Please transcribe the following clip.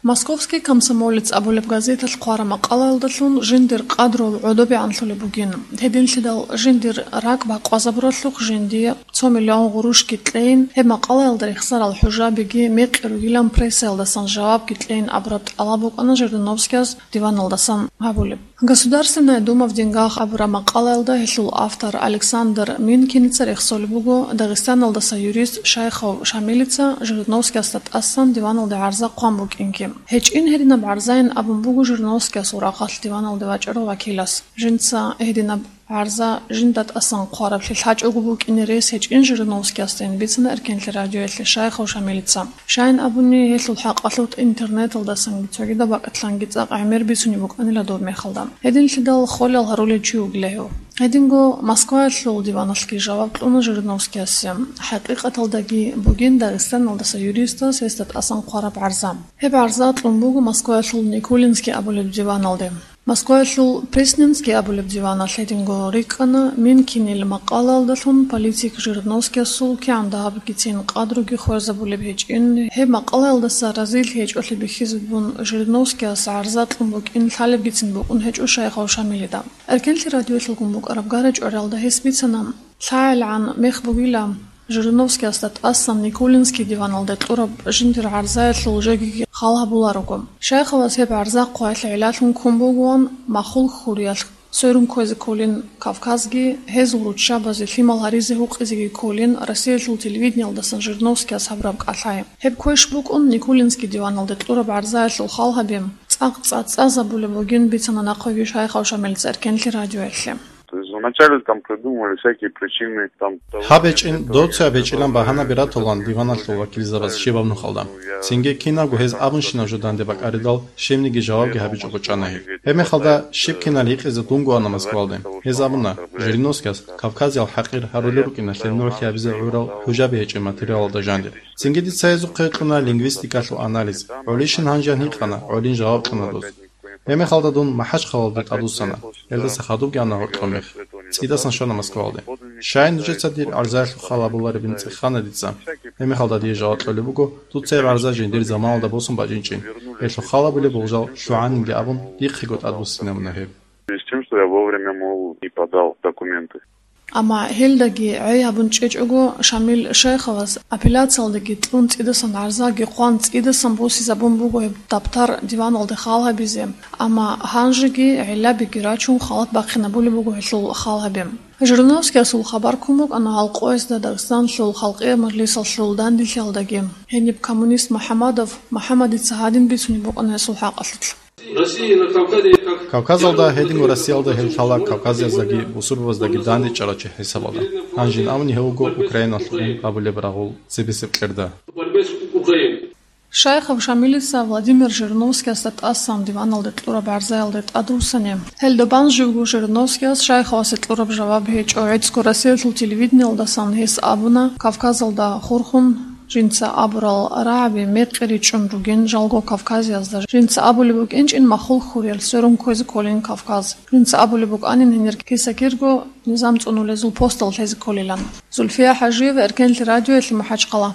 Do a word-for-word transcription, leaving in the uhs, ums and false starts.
Московский комсомолец абулеб газеталъ хъвараб макъалаялдалъун жиндир къадру гӀодобегӀанлъулеб бугин. Гьединлъидал жиндир ракӀ бакъвазабуралъухъ жиндие цо миллион гъурущги кьейин, гьеб макъалаялда рехсарал хӀужабиги мекъи ругилан прессаялдасан жавабги кьейин абураб тӀалаб букӀана Жириновскияс диваналдасан гьабулеб. Государственная Дума в деньгах абураб макъалаялда гьелъул автор Александр Минкиница рехсолеб буго Дагъистаналдаса юрист Шайхов Шамилица Жириновскиясда тӀасан диваналде гӀарза хъван букӀинги. ГьечӀин гьединаб гӀарзайин абун буго Жириновскиясул рахъалъ диваналде вачӀарав вакилас. Жинца гьединаб гӀарза жинда тӀасан хъвараблъи лъачӀого букӀине рес гьечӀин Жириновскиясдайин бицана Эркенлъи радиоялъе Шайхов Шамилица. Щайин абуни, гьелъул хӀакъалъулъ интернеталдасанги цогидаб бакӀалъанги цӀакъ гӀемер бицунеб букӀанила доб мехалда. Гьединлъидал холел гьарулев чи вугила гьев. Гьединго Москваялъул диваналъги жаваб кьуна Жириновскиясе. ХӀакъикъаталдаги бугин Дагъистаналдаса юристас гьесда тӀасан хъвараб гӀарза. Гьеб гӀарза кьун буго Москваялъул Никулинский абулеб диваналде. Москваялъул Пресненский абулеб диваналъ гьединго рикӀкӀана Минкинил макъалаялдалъун политик Жириновскиясул кигӀан дагьабгицин къадруги хвезабулеб гьечӀин, гьеб макъалаялдаса разилъи гьечӀолъи бихьизабун Жириновскияс гӀарза кьун букӀин лъалебгицин букӀун гьечӀо Шайхов Шамилида. Эркенлъи радиоялъулгун букӀараб гара-чӀвариялда гьес бицана, лъагӀелгӀан мех бугила, Жириновскиясда тӀасан Никулинский диваналде кьураб жиндир гӀарзаялъул жеги хал гьабуларого. Шайховас гьеб гӀарза хъваялъе гӀиллалъун ккун бугоан махул хьуриялъ сверун кквезе кколин Кавказги, гьезул руччабазе лъимал гьаризе гьукъизеги кколин Россиялъул телевидениялдасан Жириновскияс гьабураб кӀалъай. Гьеб квеш букӀун Никулинский диваналде кьураб гӀарзаялъул хал гьаби цӀакъ цӀа-, цӀа-, цӀазабулеб бугин бицана нахъеги Шайхов Шамилица Эркенлъи радиоялъе. То есть вначале там придумывали всякие причины, там, того, Гьаб гьечӀин, нет, этого доцеб нет, гьечӀилан того багьанаби нет, ратулан этого диваналъул нет, вакилзабаз этого щибаб нет, нухалда. Ну, я Цинги кинабго гьез абун щинаб жо данде бакӀаридал, щибниги жавабги гьабичӀого чӀана гьеб. Гьебмехалда щиб кинал гьикъизе дунго ана Москвалде. Гьез абуна, Жириновскияс Кавказиял хӀакъир гьарулел рукӀиналъе нугӀлъи гьабизе гӀурал хӀужаби гьечӀеб материалалда жандир. Цинги дица гьезухъе кьуна лингвистикалъул анализ. ГӀолищин гьанжеян гьикъана, гӀолин жаваб кьуна дос. Гьебмехалда дун МахӀачхъалалде тӀадвуссана. Гьелдаса хадубги ана гьоркьоб мех. ЦӀидасан щвана Москвалде. Щай нужеца дир гӀарзаялъул хал гьабуларебин цӀехана дица. Гьебмехалда дие жаваб кьолеб буго, дуца гьеб гӀарза жиндир заманалда босун бачӀинчӀин. Гьелъул хал гьабулеб болжал лъугӀанинги абун, дихъего тӀадвуссинабуна гьеб. В связи с тем, что я вовремя, мол, не подал документы. Амма гьелдаги гӀей гьабун чӀечӀого, Шамил Шайховас апелляциялдаги кьун цӀидасан гӀарзаги хъван цӀидасан босизабун буго гьеб даптар диваналде хал гьабизе, амма гьанжеги гӀиллабиги рачун халат бахъинабулеб буго гьелъул хал гьаби. Жириновскиясул хабар ккун букӀана гьал къоязда Дагъистанлъул халкъиял мажлисалъул данделъиялдаги. Гьениб коммунист МухӀаммадов МухӀаммадица гьадин бицунеб букӀана гьесул хӀакъалъулъ. Россия на Кавказе как Кавказалда гьединго Россиялда гьел лъала кавказияздаги бусурбабаздаги дандечӀарав чи хӀисабалда. Гьанжин абуни гьев вуго Украиналъул гьабулеб рагъул цебесеб кьерда. Борьбе с Украиной. Шайхов Шамилица Владимир Жириновскиясда тӀасан диваналде кьураб гӀарзаялде тӀадвуссани. Гьелда бан живго Жириновскияс Шайховасе кьураб жаваб гьечӀо. ГӀицӀго Россиялъул телевидениялдасан гьес абуна, Кавказалда хурхун, жинца абурал рагӀаби мекъи ричӀчӀун ругин жалго Кавказиязда. Жинца абулеб букӀинчӀин махул хьуриял сверун кквезе кколин Кавказ. Жинца абулеб букӀанин гьенир киса-кирго низам цӀунулезул постал лъезе кколилан. Зульфия ХӀажиева, Эркенлъи радиоялъе, МахӀачхъала.